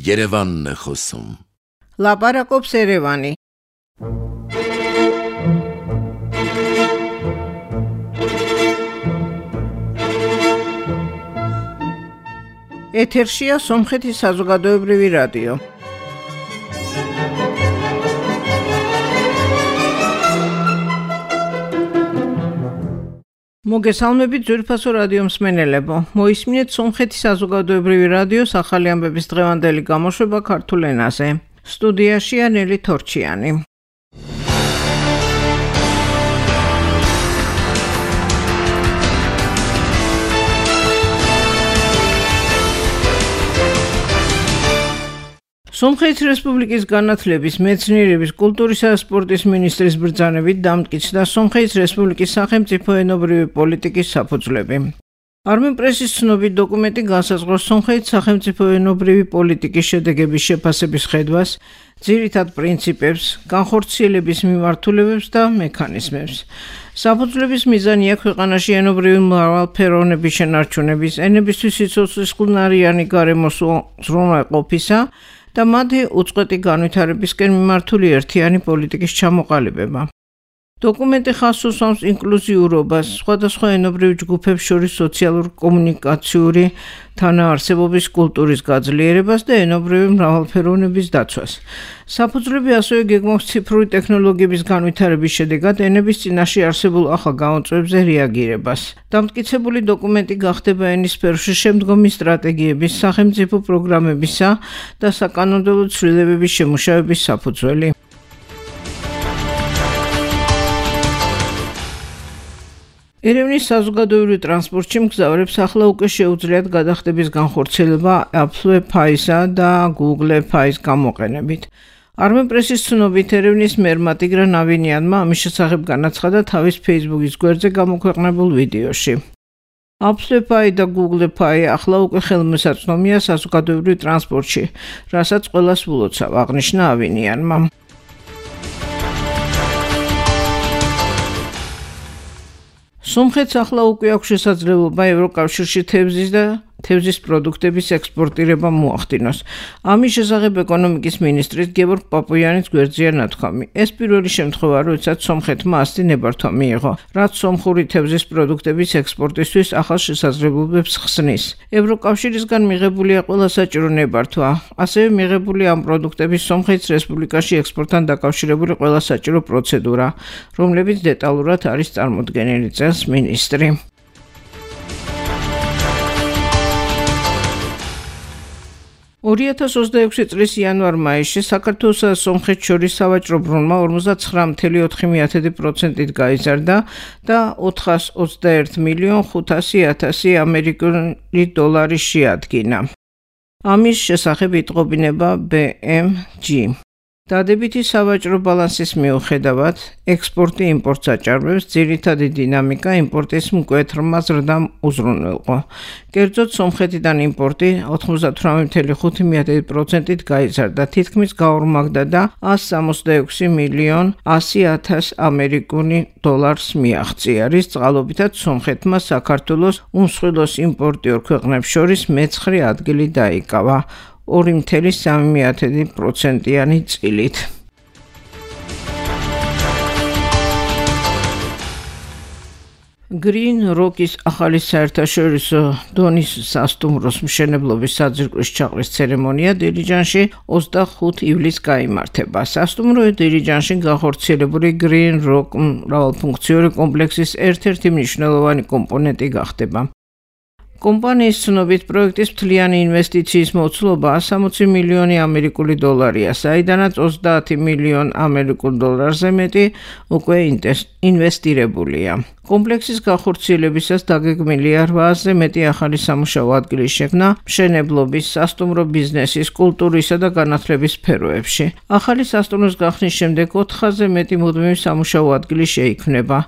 Yerevan Khosum. Labarakobs Erevani. ეთერშია სომხეთის საზოგადოებრივი რადიო. მოგესალმებით ძვირფასო რადიო მსმენელებო. მოისმინეთ სომხეთის საზოგადოებრივი რადიოს ახალი ამბების დღევანდელი გამოშვება ქართულ ენაზე. სტუდიაშია ნელი თორჩიანი. სომხეთის რესპუბლიკის განათლების, მეცნიერების, კულტურისა და სპორტის მინისტრის ბრძანებით დამტკიცდა სომხეთის რესპუბლიკის სახელმწიფო ენობრივი პოლიტიკის საფუძვლები. არმენპრესის ცნობით დოკუმენტი განსაზღვრავს სომხეთის სახელმწიფო ენობრივი პოლიტიკის შედეგების შეფასების ხედვას, ძირითად პრინციპებს, განხორციელების მიმართულებებს და მექანიზმებს. საფუძვლების მიზანია ქვეყანაში ენობრივი მრავალფეროვნების შენარჩუნების, ენებისთვის სიცოცხლის წყნარიანი გარემოს უზრუნველყოფისა და მათი უწყვეტი განვითარებისკენ მიმართული ერთიანი პოლიტიკის ჩამოყალიბება. დოკუმენტი ხაზს უსვამს ინკლუზიურობას, სხვადასხვა ენობრივ ჯგუფებს შორის სოციალურ-კომუნიკაციური თანაარსებობის კულტურის გაძლიერებას და ენობრივი მრავალფეროვნების დაცვას. საფუძვლები ასევე გეგმავს ციფრული ტექნოლოგიების განვითარების შედეგად ენების წინაშე არსებულ ახალ გამოწვევებზე რეაგირებას. დამტკიცებული დოკუმენტი გახდება ენის სფეროში შემდგომი სტრატეგიების, სახელმწიფო პროგრამებისა და საკანონმდებლო ცვლილებების შემუშავების საფუძველი. ერევნის საზოგადოებრივ ტრანსპორტში მგზავრებს ახლა უკვე შეუძლიათ გადახდების განხორციელება Apple Pay-სა და Google Pay-ს გამოყენებით. არმენპრესის ცნობით ერევნის მერმა ტიგრან ავინიანმა ამის შესახებ განაცხადა თავის Facebook-ის გვერდზე გამოქვეყნებულ ვიდეოში. Apple Pay და Google Pay ახლა უკვე ხელმისაწვდომია საზოგადოებრივ ტრანსპორტში, რასაც ყველას ვლოცავ, აღნიშნა ავინიანმა. სომხეთს ახლა უკვე აქვს შესაძლებლობა ევროკავშირში თევზის პროდუქტების ექსპორტირება მოახდინოს. ამის შესახებ ეკონომიკის მინისტრის გეორგ პაპუიანის გვერდზეა ნათქვამი. ეს პირველი შემთხვევა, როდესაც სომხეთმა ასეთი ნებართვა მიიღო, რაც სომხური თევზის პროდუქტების ექსპორტისთვის ახალ შესაძლებლობებს ხსნის. ევროკავშირისგან მიღებულია ყველა საჭირო ნებართვა, ასევე მიღებულია ამ პროდუქტების სომხეთის რესპუბლიკაში ექსპორტთან დაკავშირებული ყველა საჭირო პროცედურა, რომლებიც დეტალურად არის წარმოდგენილი, წერს მინისტრი. (2026) წლის იანვარ-მაისში საქართველოსა და სომხეთს შორის სავაჭრო ბრუნვა 59,4% გაიზარდა და 421,500,000 ამერიკული დოლარი შეადგინა. ამის შესახებ იტყობინება BMG. დადებითი სავაჭრო ბალანსის მიუხედავად, ექსპორტი იმპორტს აჭარბებს, ძირითადი დინამიკა იმპორტის მკვეთრმა ზრდამ უზრუნველყო. კერძოდ, სომხეთიდან იმპორტი 98,5%-ით გაიზარდა, თითქმის გაორმაგდა და 166,100,000 ამერიკული დოლარს მიაღწია, რის წყალობითაც სომხეთმა საქართველოს უმსხვილოს იმპორტიორ ქვეყნებს შორის მე-9 ადგილი დაიკავა. 2,3% წილით. Green Rock-ის ახალი საერთაშორისო დონის სასტუმროს მშენებლობის საძირკვლის ჩაყრის ცერემონია დირიჯანში 25 ივლისს გაიმართება. სასტუმრო დირიჯანში განხორციელებული Green Rock მრავალფუნქციური კომპლექსის ერთ-ერთი მნიშვნელოვანი კომპონენტი გახდება. კომპანიის ცნობით პროექტის მთლიანი ინვესტიციის მოცულობა 160 მილიონი ამერიკული დოლარია, საიდანაც 30 მილიონი ამერიკულ დოლარზე მეტი უკვე ინვესტირებულია. კომპლექსის განხორციელებისას დაგეგმილია 800-ზე მეტი ახალი სამუშაო ადგილის შექმნა მშენებლობის, სასტუმრო ბიზნესის, კულტურისა და განათლების სფეროებში. ახალი სასტუმროს გახსნის შემდეგ 400-ზე მეტი მუდმივი სამუშაო ადგილი შეიქმნება.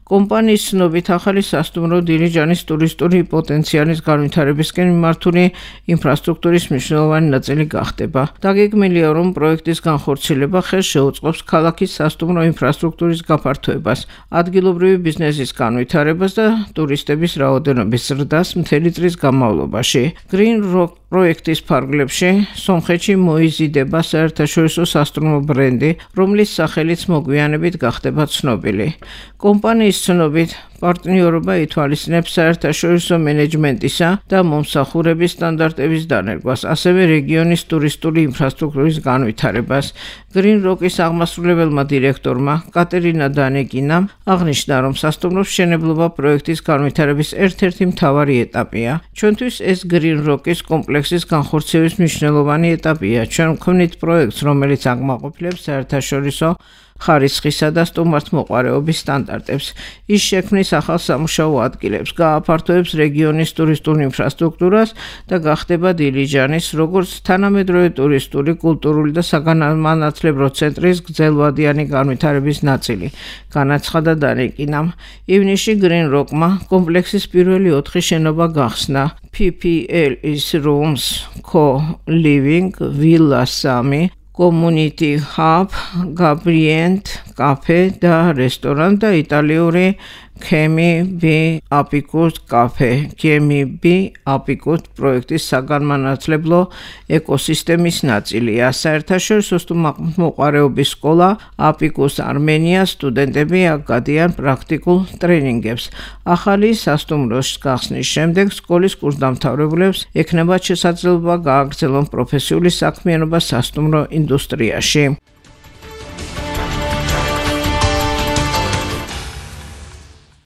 კომპანიის ცნობით ახალი სასტუმრო დირიჯანის ტურისტული პოტენციალის განვითარებისკენ მიმართული ინფრასტრუქტურის მნიშვნელოვანი ნაწილი გახდება. დაგეგმილია, რომ პროექტის განხორციელება ხელს შეუწყობს ქალაქის სასტუმრო ინფრასტრუქტურის გაფართოებას, ადგილობრივი ბიზნესის განვითარებას და ტურისტების რაოდენობის ზრდას მთელი წლის განმავლობაში. Green Rock პროექტის ფარგლებში სომხეთში მოიზიდება საერთაშორისო სასტუმრო ბრენდი, რომლის სახელიც მოგვიანებით გახდება ცნობილი. კომპანიის ცნობით, პარტნიორობა ითვალისწინებს საერთაშორისო მენეჯმენტისა და მომსახურების სტანდარტების დანერგვას, ასევე რეგიონის ტურისტული ინფრასტრუქტურის განვითარებას. Green Rock-ის აღმასრულებელმა დირექტორმა კატერინა დანეკინამ აღნიშნა, რომ სასტუმროს მშენებლობა პროექტის განვითარების ერთ-ერთი მთავარი ეტაპია. ჩვენთვის ეს Green Rock-ის კომპლექსის განხორციელების მნიშვნელოვანი ეტაპია. ჩვენ ვქმნით პროექტს, რომელიც აკმაყოფილებს საერთაშორისო ხარისხისა და სტუმართმოყვარეობის სტანდარტებს. ის შექმნის ახალ სამუშაო ადგილებს, გააფართოებს რეგიონის ტურისტულ ინფრასტრუქტურას და გახდება დილიჯანის, როგორც თანამედროვე ტურისტული, კულტურული და საგანმანათლებლო ცენტრის გრძელვადიანი განვითარების ნაწილი, განაცხადა დანეკინამ. ივნისში Green Rock-მა კომპლექსის პირველი 4 შენობა გახსნა. PPL-ის Rooms Co-Living, Villa 3, Community Hub, Gabrient, Cafe და რესტორანი და იტალიური Kemi B Apicus Cafe, Kemi B Apicus პროექტის საგანმანათლებლო ეკოსისტემის ნაწილია. საერთაშორისო სტუმართმოყვარეობის სკოლა Apicus Armenia სტუდენტები აგადიან პრაქტიკულ ტრენინგებს. ახალი სასტუმროს გახსნის შემდეგ სკოლის კურსდამთავრებულებს ექნებათ შესაძლებლობა გააგრძელონ პროფესიული საქმიანობა სასტუმრო ინდუსტრიაში.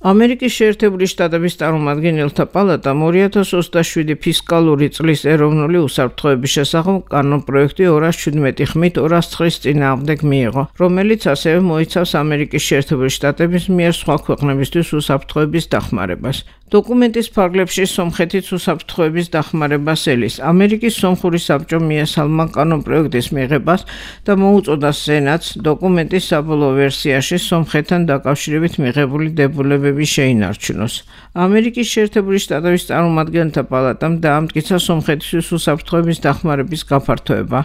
ამერიკის შეერთებული შტატების წარმომადგენელთა პალატამ 2027 ფისკალური წლის ეროვნული უსაფრთხოების შესახებ კანონპროექტი 217 ხმით 209-ის წინააღმდეგ მიიღო, რომელიც ასევე მოიცავს ამერიკის შეერთებული შტატების მიერ სხვა ქვეყნებისთვის უსაფრთხოების დახმარებას. დოკუმენტის ფარგლებში სომხეთის უსაფრთხოების დახმარებას ელის. ამერიკის სომხური საბჭო მიესალმა კანონპროექტის მიღებას და მოუწოდა სენატს დოკუმენტის საბოლოო ვერსიაში სომხეთთან დაკავშირებით მიღებული დებულებები შეინარჩუნოს. ამერიკის შეერთებული შტატების წარმომადგენელთა პალატამ დაამტკიცა სომხეთის უსაფრთხოების დახმარების გაფართოება.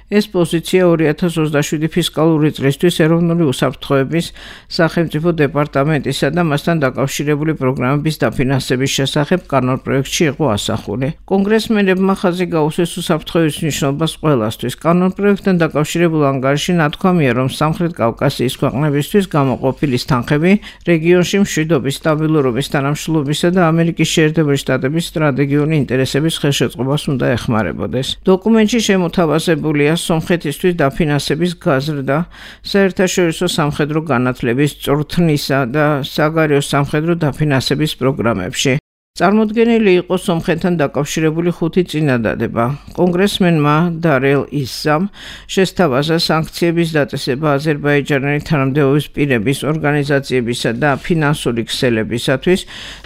ეს პოზიცია 2027 ფისკალური წლისთვის ეროვნული უსაფრთხოების სახელმწიფო დეპარტამენტისა და მასთან დაკავშირებული პროგრამების დაფინანსების შესახებ კანონპროექტში იყო ასახული. კონგრესმენებმა ხაზი გაუსვეს უსაფრთხოების მნიშვნელობას ყველასთვის. კანონპროექტთან დაკავშირებულ ანგარიში ნათქვამია, რომ სამხრეთ კავკასიის ქვეყნებისთვის გამოყოფილი თანხები რეგიონში მშვიდობის, სტაბილურობის, თანამშრომლობისა და ამერიკის შეერთებული შტატების სტრატეგიული ინტერესების ხელშეწყობას უნდა ეხმარებოდეს. დოკუმენტში შემოთავაზებულია სომხეთისთვის დაფინანსების გაზრდა, საერთაშორისო სამხედრო განათლების, წვრთნისა და საგარეო სამხედრო დაფინანსების პროგრამებში. წარმოდგენილი იყო სომხეთთან დაკავშირებული 5 წინადადება. კონგრესმენმა დარელ ისამ შესთავაზა სანქციების დაწესება აზერბაიჯანელი თანამდებობის პირების, ორგანიზაციებისა და ფინანსური ქსელებისათვის,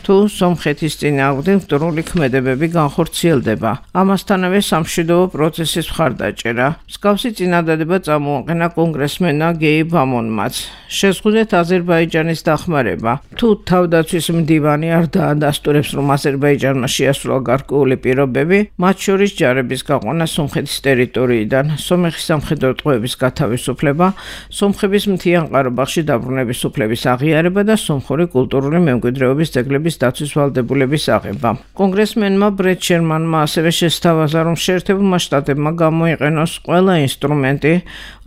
თუ სომხეთის წინააღმდეგ მტრული ქმედებები განხორციელდება. ამასთანავე სამშვიდობო პროცესის მხარდაჭერა. მსგავსი წინადადება წამოაყენა კონგრესმენმა გეი ბამონმაც. შეზღუდეთ აზერბაიჯანის დახმარება. თუ თავდაცვის მდივანი არ დაადასტურებს, რომ აზერბაიჯანმა შეასრულა გარკვეული პირობები, მათ შორის ჯარების გაყვანა სომხეთის ტერიტორიიდან, სომეხის სამხედრო ტყვეების გათავისუფლება, სომხების მთიან ყარაბაღში დაბრუნების უფლების აღიარება და სომხური კულტურული მემკვიდრეობის ძეგლების დაცვის ვალდებულების აღება. კონგრესმენმა ბრედ შერმანმა ასევე შესთავაზა, რომ შეერთებულმა შტატებმა გამოიყენოს ყველა ინსტრუმენტი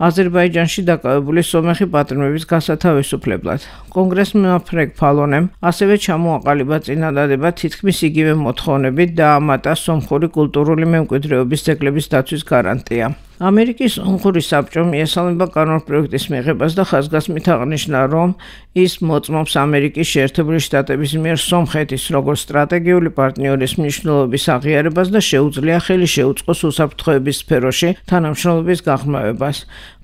აზერბაიჯანში დაკავებული სომეხი პატრონების გასათავისუფლებლად. კონგრესმენმა ფრეგ ფალონემ ასევე ჩამოაყალიბა წინადადება თითქმის იგივე მოთხოვნებით დაამატა სომხური კულტურული მემკვიდრეობის ძეგლების დაცვის გარანტია. ამერიკის სომხური საბჭო მიესალმება კანონპროექტის მიღებას და ხაზგასმით აღნიშნა, რომ ის მოწმობს ამერიკის შეერთებული შტატების მიერ სომხეთის როგორც სტრატეგიული პარტნიორის მნიშვნელობის აღიარებას და შეუძლია ხელი შეუწყოს უსაფრთხოების სფეროში თანამშრომლობის გაღრმავებას.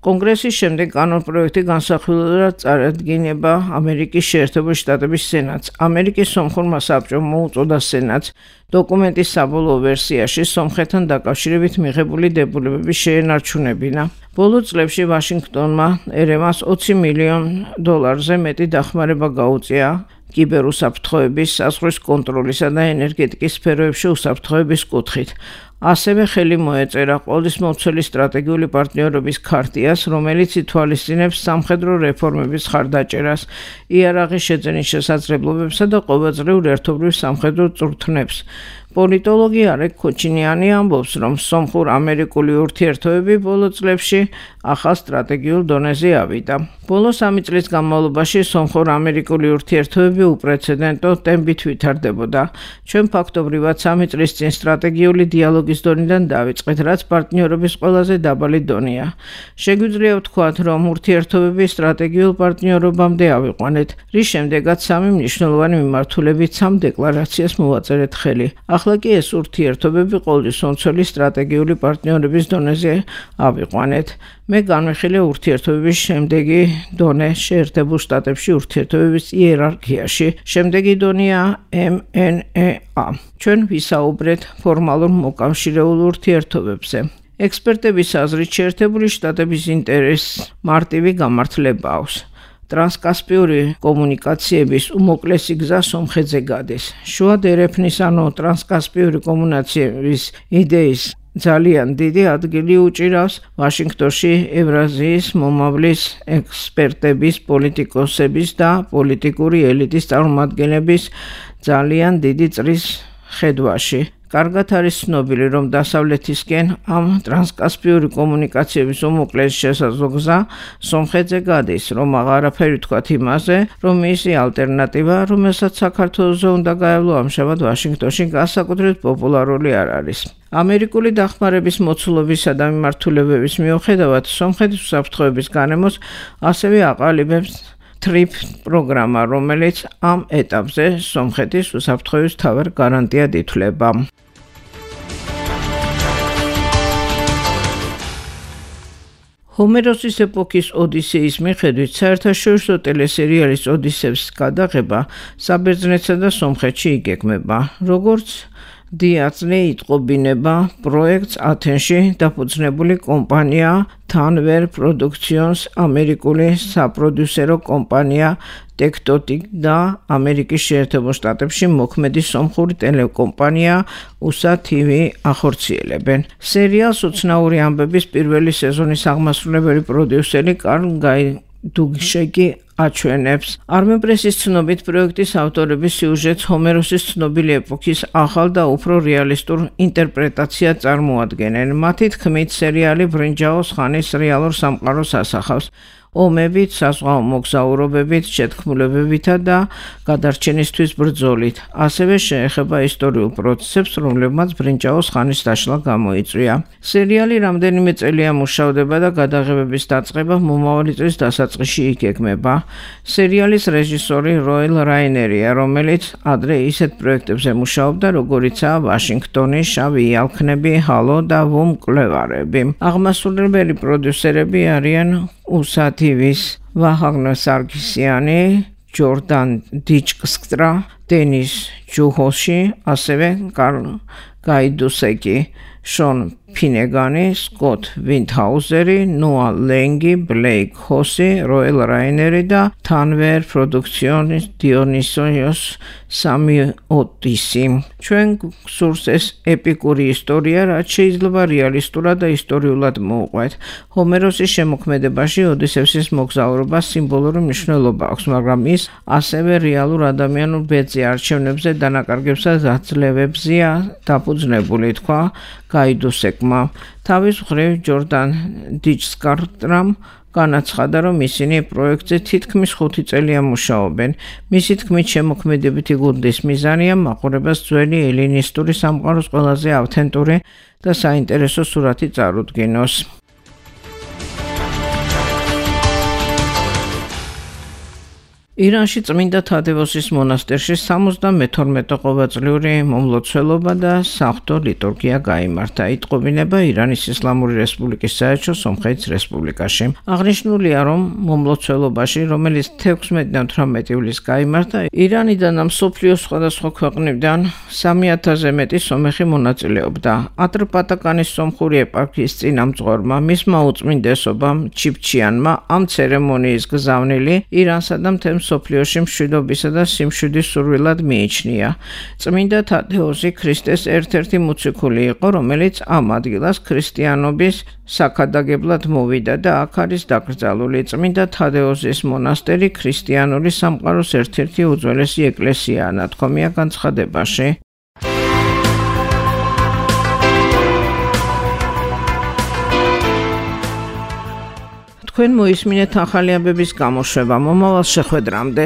კონგრესის შემდეგ კანონპროექტი განსახილველად წარადგინება ამერიკის შეერთებული შტატების სენატს. ამერიკის სომხურმა საბჭომ მოუწოდა სენატს დოკუმენტის საბოლოო ვერსიაში სომხეთთან დაკავშირებით მიღებული დებულებები შეენარჩუნებინა. ბოლო წლებში ვაშინგტონმა ერევანს $20 მილიონ მეტი დახმარება გაუწია კიბერუსაფრთხოების, საზღვრის კონტროლისა და ენერგეტიკის სფეროებში უსაფრთხოების კუთხით. ასევე ხელი მოეწერა ყოვლისმომცველი სტრატეგიული პარტნიორობის ქარტიას, რომელიც ითვალისწინებს სამხედრო რეფორმების ხარდაჭერას, იარაღის შეძენის შესაძლებლობებსა და ყოველწლიურ ერთობლივ სამხედრო წვრთნებს. პოლიტოლოგი არეკ ქოჩინიანი ამბობს, რომ სომხურ-ამერიკული ურთიერთობები ბოლო წლებში ახალ სტრატეგიულ დონეზე ავიდა. ბოლო 3 წლის განმავლობაში სომხურ-ამერიკული ურთიერთობები უპრეცედენტო ტემპით ვითარდებოდა. ჩვენ ფაქტობრივად 3 წლის წინ სტრატეგიული დიალოგის დონიდან დავიწყეთ, რაც პარტნიორობის ყველაზე დაბალი დონეა. შეგვიძლია ვთქვათ, რომ ურთიერთობები სტრატეგიულ პარტნიორობამდე ავიყვანეთ, რის შემდეგაც 3 მნიშვნელოვანი მიმართულებით 3 დეკლარაციას მოვაწერეთ ხელი. ახლა კი ეს ურთიერთობები ყოვლისმომცველი სტრატეგიული პარტნიორების დონეზე ავიყვანეთ. მე განვიხილე ურთიერთობების შემდეგი დონე შეერთებულ შტატებში ურთიერთობების იერარქიაში. შემდეგი დონეა MNEA. ჩვენ ვისაუბრეთ ფორმალურ მოკავშირეულ ურთიერთობებზე. ექსპერტების აზრით შეერთებული შტატების ინტერესს მარტივი გამართლება აქვს. ტრანსკასპიური კომუნიკაციების უმოკლესი გზა სომხეთზე გადის. შუა დერეფნის ანუ ტრანსკასპიური კომუნიკაციების იდეის ძალიან დიდი ადგილი უჭირავს ვაშინგტონში ევრაზიის მომავლის ექსპერტების, პოლიტიკოსების და პოლიტიკური ელიტის წარმომადგენლების ძალიან დიდი წრის ხედვაში. კარგად არის ცნობილი, რომ დასავლეთისკენ ამ ტრანსკასპიური კომუნიკაციების უმოკლეს შესაძლო გზა სომხეთზე გადის, რომ აღარაფერი ვთქვათ იმაზე, რომ მისი ალტერნატივა, რომელსაც საქართველოზე უნდა გაევლო ამჟამად ვაშინგტონში განსაკუთრებით პოპულარული არ არის. ამერიკული დახმარების მოცულობისა და მიმართულებების მიუხედავად, სომხეთის უსაფრთხოების განემოს ასევე აყალიბებს TRIP პროგრამა, რომელიც ამ ეტაპზე სომხეთის უსაფრთხოების მთავარ გარანტიად ითვლება. ჰომეროსის ეპოქის ოდისეის მიხედვით საერთაშორისო ტელესერიალის ოდისეის გადაღება საბერძნეთსა და სომხეთში იგეგმება. როგორც დიაწნე იტყობინება პროექტს ათენში დაფუძნებული კომპანია Tanver Productions, ამერიკული საპროდიუსერო კომპანია Tectotic და ამერიკის შეერთებულ შტატებში მოქმედი სომხური ტელეკომპანია USA TV ახორციელებენ. სერიალს უცნაური ამბების პირველი სეზონის აღმასრულებელი პროდიუსერი კარლ გაიდუგშეკი აჩვენებს. Armenpress-ის ცნობით პროექტის ავტორების სიუჟეტს ჰომეროსის ცნობილი ეპოქის ახალ და უფრო რეალისტურ ინტერპრეტაციად წარმოადგენენ. მათი თქმით, სერიალი ბრინჯაოს ხანის რეალურ სამყაროს ასახავს. ომებით, საზღვაო მოგზაურობებით, შეთქმულებებითა და გადარჩენისთვის ბრძოლით. ასევე შეეხება ისტორიულ პროცესებს, რომლებმაც ბრინჯაოს ხანის დაშლა გამოიწვია. სერიალი რამდენიმე წელია მუშავდება და გადაღებების დაწყება მომავალი წლის დასაწყისში იგეგმება. სერიალის რეჟისორი როელ რაინერია, რომელიც ადრე ისეთ პროექტებზე მუშაობდა, როგორიცაა ვაშინგტონი, შავი იალქნები, ჰალო და ვუმ მკვლევარები. აღმასრულებელი პროდიუსერები არიან USA TV-ის ვაჰაგნე სარგისიანი, ჯორდან დიჩკსტრა, დენის ჯუჰოში, ასევე კარლ გაიდუსეკი, შონ ფინეგანი, სკოტ ვინდჰაუზერი, ნოა ლენგი, ბლეიკ ჰოსი, როელ რაინერი და Tanver Productions დიონისიოს სამიოტისი. ჩვენ გსურს ეს ეპიკური ისტორია, რაც შეიძლება რეალისტურად და ისტორიულად მოუყვეთ. ჰომეროსის შემოქმედებაში ოდისევსის მოგზაურობა სიმბოლური მნიშვნელობა აქვს, მაგრამ ის ასევე რეალურ ადამიანურ ბედზე, არჩევნებზე, დანაკარგებსა და დაძლევებზეა დაფუძნებული, თქვა გაიდუსეკმა. თავის მხრივ ჯორდან დიჩკსტრამ განაცხადა, რომ ისინი პროექტზე თითქმის 5 წელია მუშაობენ. მისი თქმით, შემოქმედებითი გუნდის მიზანია მაყურებელს ძველი ელინისტური სამყაროს ყველაზე ავთენტური და საინტერესო სურათი წარუდგინოს. ირანში წმინდა თადევოსის მონასტერში 72 ყოველწლიური მომლოცველობა და საღვთო ლიტურგია გაიმართა. იტყობინება ირანის ისლამური რესპუბლიკის საელჩო სომხეთის რესპუბლიკაში. აღნიშნულია, რომ მომლოცველობაში, რომელიც 16-18 ივლისს გაიმართა, ირანიდან და მსოფლიოს სხვადასხვა ქვეყნებიდან 3000-ზე მეტი სომეხი მონაწილეობდა. ატრპატაკანის სომხური ეპარქიის წინამძღვარმა, მისმა უწმინდესობამ ჩიფჩიანმა ამ ცერემონიის გზავნილი ირანსა და მთელ მსოფლიოში მშვიდობისა და სიმშვიდის სურვილად მიიჩნია. წმინდა თადეოზი ქრისტეს ერთ-ერთი მოციქული იყო, რომელიც ამ ადგილას ქრისტიანობის საქადაგებლად მოვიდა და აქ არის დაკრძალული. წმინდა თადეოზის მონასტერი ქრისტიანული სამყაროს ერთ-ერთი უძველესი ეკლესიაა, ნათქვამია განცხადებაში. თქვენ მოისმინეთ ახალი ამბების გამოშვება მომავალ შეხვედრამდე.